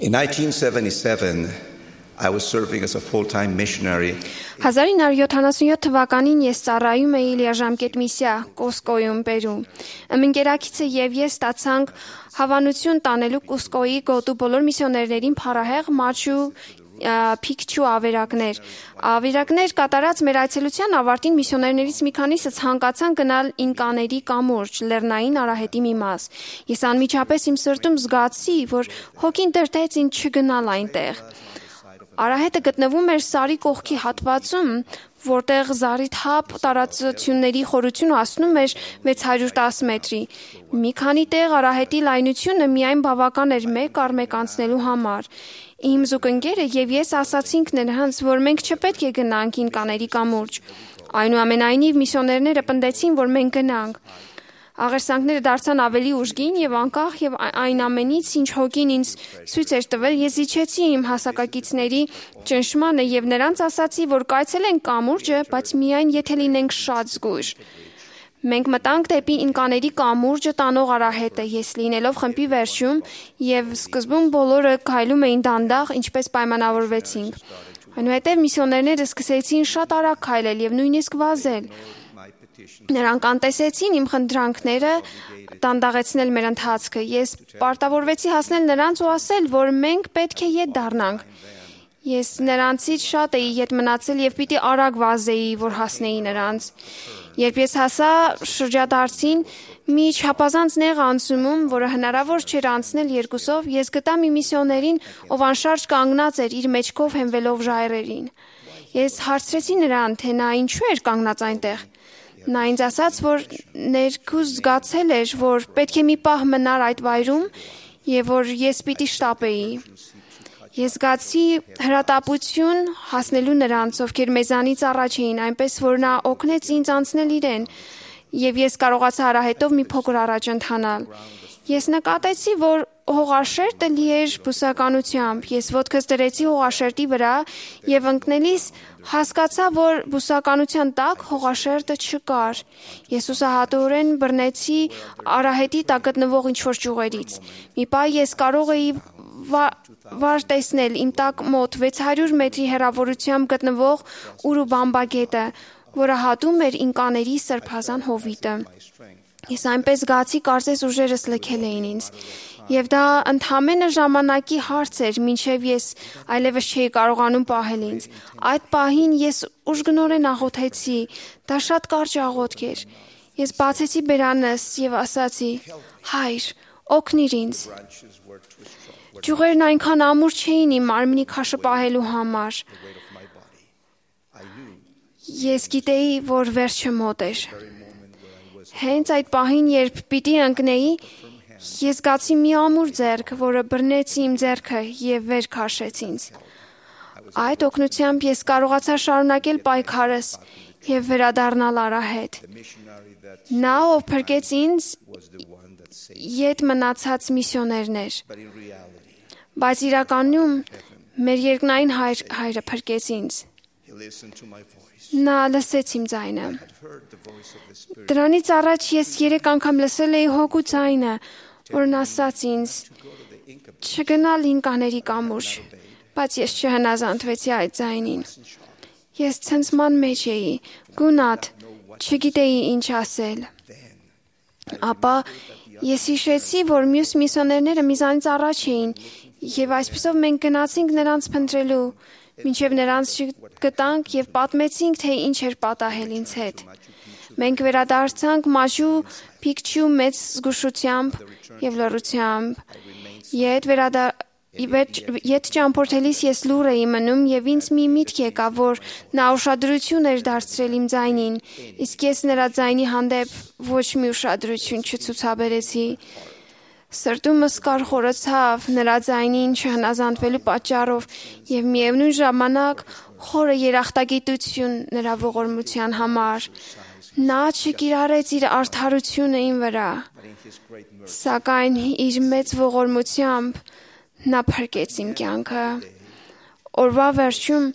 In 1977, I was serving as a full-time missionary. 1977 թվականին ես ծառայում էի լիաժամկետ միսիա Կուսկոյում, Պերու։ Ընկերակիցը եւ ես ստացանք հավանություն տանելու Կուսկոյի գոտու բոլոր միսիոներներին փառահեղ մաչու Փիքչու ավերակներ կատարած մեր այցելության ավարտին միսիոներներից մի քանիսը ցանկացան գնալ ինկաների կամուրջ, Լեռնային Արահետի մի մաս։ Ես անմիջապես իմ սրտում զգացի, որ հոգին դրդեց ինձ չգնալ այնտեղ։ Արահետը գտնվում էր Սարի կողքի հատվածում, որտեղ զառիթափ տարածությունների խորությունը հասնում էր 610 մետրի։ Մի քանի տեղ Արահետի լայնությունը միայն բավական էր մեկ առ մեկ անցնելու համար։ Իմ զուգընկերը եւ ես ասացինք նրանց, որ մենք չպետք է գնանք ինկաների կամուրջ։ Այնուամենայնիվ միսիոներները պնդեցին, որ մենք գնանք։ Աղերսանքները դարձան ավելի ուժգին եւ անկախ եւ այն ամենից, ինչ հոգին ինձ ցույց էր տվել, ես իջեցի իմ հասակակիցների ճնշմանը եւ նրանց ասացի, որ կայցելենք կամուրջը, բայց միայն եթե լինենք շատ զգույշ։ Մենք մտանք դեպի ինկաների կամուրջը տանող արահետը, ես լինելով խմբի վերջում եւ սկզբում բոլորը քայլում էին դանդաղ, ինչպես պայմանավորվեցինք։ Այնուհետև միսիոներները սկսեցին շատ արագ քայլել եւ նույնիսկ վազել։ Նրանք անտեսեցին իմ խնդրանքները դանդաղեցնել մեր ընթացքը։ Ես պարտավորվեցի հասնել նրանց ու ասել, որ մենք պետք է ետ դառնանք։ Ես նրանցից շատ էի ետ մնացել եւ պիտի արագ վազեի, որ հասնեի նրանց։ Երբ ես հասա շրջադարձին մի չափազանց նեղ անցումում, որը հնարավոր չէր անցնել երկուսով, ես գտա մի միսիոներին, ով անշարժ կանգնած էր իր մեջքով հենվելով ժայռերին։ Ես հարցրեցի նրան, թե նա ինչու էր կանգնած այնտեղ։ Նա ինձ ասաց, որ ներքուս զգացել էր, որ պետք է մի պահ մնար այդ վայրում եւ որ ես պիտի շտապեի։ Ես զգացի հրատապություն հասնելու նրանց, ովքեր մեզանից առաջ էին, այնպես որ նա օգնեց ինձ անցնել իրեն եւ ես կարողացա արահետով մի փոքր առաջ ընթանալ։ Ես նկատեցի, որ հողաշերտը լի էր բուսականությամբ։ Ես ոտքս դրեցի հողաշերտի վրա եւ ընկնելիս հասկացա, որ բուսականության տակ հողաշերտը չկար։ Ես ուսահատորեն բռնեցի արահետի տակ գտնվող ինչ-որ ճյուղերից։ Մի պահ ես կարող էի վար տեսնել իմ տակ մոտ 600 մետրի հեռավորությամբ գտնվող Ուրուբամբա գետը, որը հատում էր ինկաների սրբազան հովիտը։ Ես այնպես զգացի, կարծես ուժերս լքել էին ինձ։ Եվ դա ընդամենը ժամանակի հարց էր, մինչև ես այլևս չէի կարողանում պահել ինձ։ Այդ պահին ես ուժգնորեն աղոթեցի, դա շատ կարճ աղոթք էր։ Ես բացեցի բերանս եւ ասացի. «Հայր, օգնիր ինձ»։ Ճյուղերն այնքան ամուր չէին իմ մարմնի քաշը պահելու համար։ Ես գիտեի, որ վերջը մոտ էր։ Հենց այդ պահին, երբ պիտի ընկնեի, ես զգացի մի ամուր ձեռք, որը բռնեց իմ ձեռքը եւ վեր քաշեց ինձ։ Այդ օգնությամբ ես կարողացա շարունակել պայքարս եւ վերադառնալ արահետ։ Նա, ով փրկեց ինձ, ետ մնացած միսիոներներ։ Բայց իրականում մեր երկնային հայրը փրկեց ինձ։ Նա լսեց իմ ձայնը։ Դրանից առաջ ես 3 անգամ լսել էի հոգու ձայնը, որն ասաց ինձ չգնալ ինկաների կամուրջ, բայց ես չհնազանդվեցի այդ ձայնին։ Ես ցնցման մեջ էի, գունատ, չգիտեի ինչ ասել։ Ապա ես հիշեցի, որ մյուս միսիոներները մեզանից առաջ էին, եւ այսպեսով մենք գնացինք նրանց փնտրելու, մինչև նրանց չգտանք եւ պատմեցինք, թե ինչ էր պատահել ինձ հետ։ Մենք վերադարձանք Մաչու Փիքչու մեծ զգուշությամբ եւ լռությամբ։ Ետ ճամփորդելիս ես լուր էի մնում եւ ինձ մի միտք եկավ, որ նա ուշադրություն էր դարձրել իմ ձայնին, իսկ ես նրա ձայնի հանդեպ ոչ մի ուշադրություն չցուցաբերեցի։ Սրտումս կարխորացավ նրա ձայնին չհնազանդվելու պատճառով եւ միևնույն ժամանակ խորը երախտագիտություն նրա ողորմության համար։ Նա չկիրառեց իր արդարությունը իմ վրա, սակայն իր մեծ ողորմությամբ նա փրկեց իմ կյանքը։ Օրվա վերջում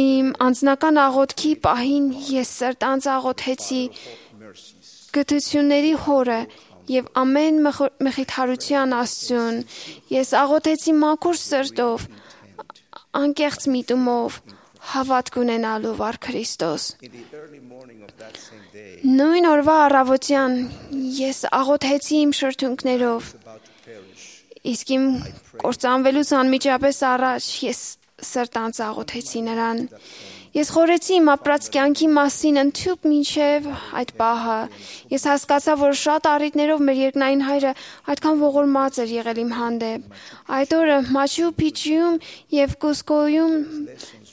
իմ անձնական աղոթքի պահին ես սրտանց աղոթեցի գթությունների հորը եւ ամեն մխիթարության Աստծուն։ Ես աղոթեցի մաքուր սրտով, անկեղծ միտումով, հավատք ունենալու վար Քրիստոս։ Նույն օրվա առավոտյան ես աղոթեցի իմ շրթունքներով, իսկ իմ կործանվելուց անմիջապես առաջ ես սրտանց աղոթեցի նրան։ Ես խորեցի իմ ապրած կյանքի մասին ընդհուպ մինչև այդ պահը։ Ես հասկացա, որ շատ առիթներով մեր երկնային Հայրը այդքան ողորմած էր եղել իմ հանդեպ։ Այդ օրը Մաչու Պիչիում եւ Կուսկոյում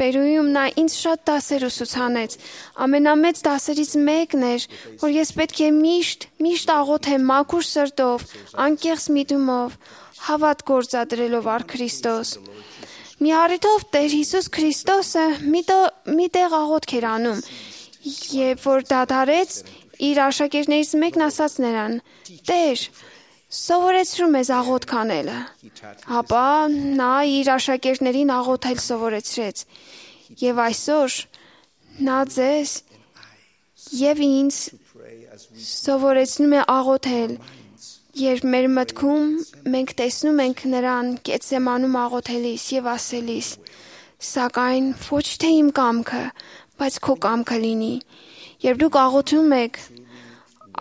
Պերուում նա ինձ շատ դասեր ուսուցանեց։ Ամենամեծ դասերից մեկն էր, որ ես պետք է միշտ աղոթեմ մաքուր սրտով, անկեղծ միտումով, հավատ գործադրելով առ Քրիստոս։ Մի առիթով Տեր Հիսուս Քրիստոսը մի տեղ աղոթք էր անում, երբ որ դադարեց, իր աշակերտներից մեկն ասաց նրան. «Տեր, սովորեցրու մեզ աղոթք անելը»։ Ապա նա իր աշակերտներին աղոթել սովորեցրեց։ Եվ այսօր նա ձեզ եւ ինձ սովորեցնում է աղոթել, երբ մեր մտքում մենք տեսնում ենք նրան Գեթսեմանում աղոթելիս եւ ասելիս. «Սակայն ոչ թե իմ կամքը, բայց քո կամքը լինի»։ Երբ դուք աղոթում եք,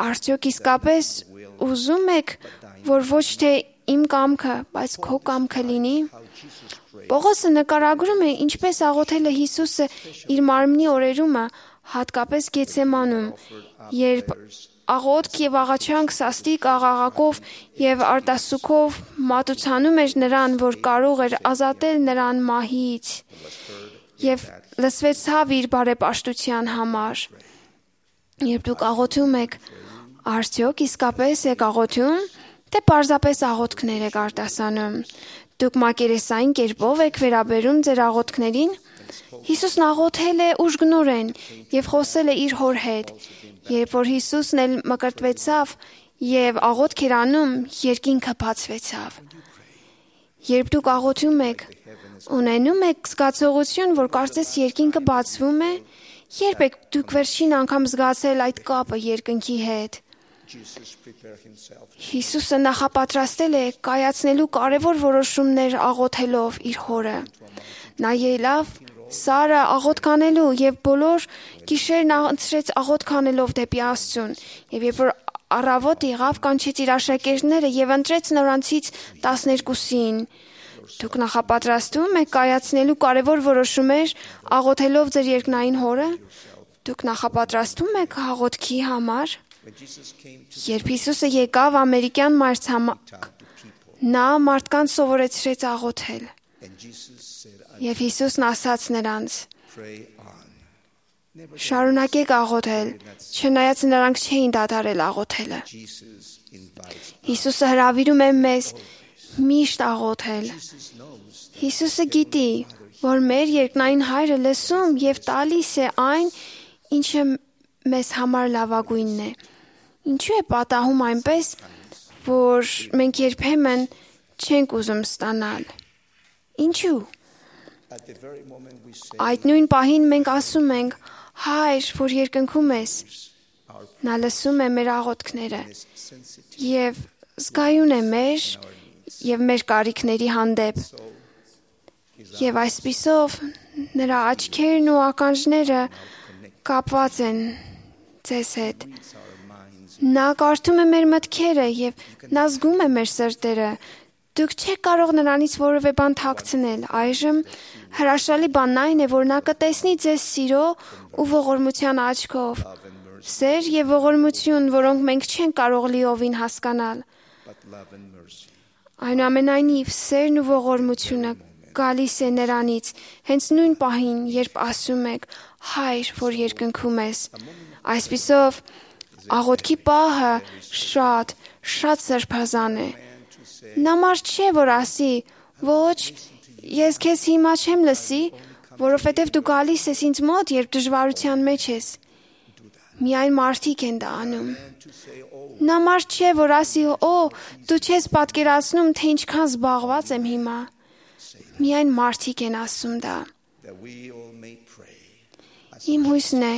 արդյոք իսկապես ուզում եք, որ ոչ թե իմ կամքը, բայց քո կամքը լինի։ Պողոսը նկարագրում է, ինչպես աղոթել է Հիսուսը իր մարմնի օրերումը, հատկապես Գեթսեմանում, երբ աղոթք եւ աղաչանք սաստիկ աղաղակով եւ արտասուքով մատուցանում էր նրան, որ կարող էր ազատել նրան մահից, եւ լսվեցավ իր բարեպաշտության համար։ Երբ դուք աղոթում եք, արդյոք իսկապես եք աղոթում, թե պարզապես աղոթքներ եք արտասանում։ Դուք մակերեսային կերպով եք վերաբերում ձեր աղոթքներին։ Հիսուսն աղոթել է ուժգնորեն եւ խոսել է իր հոր հետ։ Երբ որ Հիսուսն էլ մկրտվեցավ եւ աղոթք էր անում, երկինքը բացվեցավ։ Երբ դուք աղոթում եք, ունենում եք զգացողություն, որ կարծես երկինքը բացվում է, երբ եք դուք վերջին անգամ զգացել այդ կապը երկնքի հետ։ Հիսուսը նախապատրաստել է կայացնելու կարևոր որոշումներ աղոթելով իր հորը։ Նա ելավ Սարը աղոթք անելու եւ բոլոր գիշերն անցրեց աղոթք անելով դեպի Աստծուն։ Եվ երբ որ առավոտ եղավ, կանչեց իր աշակերտները եւ ընտրեց նրանցից 12-ին։ Դուք նախապատրաստում եք կայացնելու կարևոր որոշումներ աղոթելով ձեր երկնային հորը։ Դուք նախապատրաստում եք աղոթքի համար։ Երբ Հիսուսը եկավ ամերիկյան մայրցամաք, նա մարդկանց սովորեցրեց աղոթել։ Եվ Հիսուսն ասաց նրանց. «Շարունակեք աղոթել, չնայած նրանք չէին դադարել աղոթելը»։ Հիսուսը հրավիրում է մեզ միշտ աղոթել։ Հիսուսը գիտի, որ մեր երկնային Հայրը լսում եւ տալիս է այն, ինչը մեզ համար լավագույնն է։ Ինչու է պատահում այնպես, որ մենք երբեմն չենք ուզում ստանալ։ Ինչու։ Այդ նույն պահին մենք ասում ենք. «Հայր, որ երկնքում ես», նա լսում է մեր աղոթքները եւ զգայուն է մեր եւ մեր կարիքների հանդեպ։ Եվ այսպիսով նրա աչքերն ու ականջները կապված են ձեզ հետ։ Նա կարդում է մեր մտքերը եւ նա զգում է մեր սրտերը։ Դուք չեք կարող նրանից որևէ բան թաքցնել։ Այժմ հրաշալի բանն այն է, որ նա կտեսնի ձեզ սիրո ու ողորմության աչքով։ Սեր եւ ողորմություն, որոնք մենք չենք կարող լիովին հասկանալ։ Այնուամենայնիվ, սերն ու ողորմությունը գալիս է նրանից, հենց նույն պահին, երբ ասում եք. «Հայր, որ երկնքում ես»։ Այսպիսով, աղոթքի պահը շատ սրբազան է։ Նա մարդ չէ, որ ասի. «Ոչ, ես քեզ հիմա չեմ լսի, որովհետև դու գալիս ես ինձ մոտ, երբ դժվարության մեջ ես»։ Միայն մարդիկ են դա անում։ Նա մարդ չէ, որ ասի. «Օ, դու չես պատկերացնում, թե ինչքան զբաղված եմ հիմա»։ Միայն մարդիկ են ասում դա։ Իմ հույսն է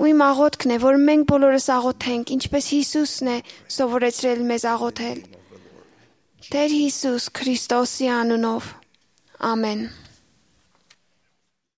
ու իմ աղոթքն է, որ մենք բոլորս աղոթենք, ինչպես Հիսուսն է սովորեցրել մեզ աղոթել։ Տեր Հիսուս Քրիստոսի անունով։ Ամեն։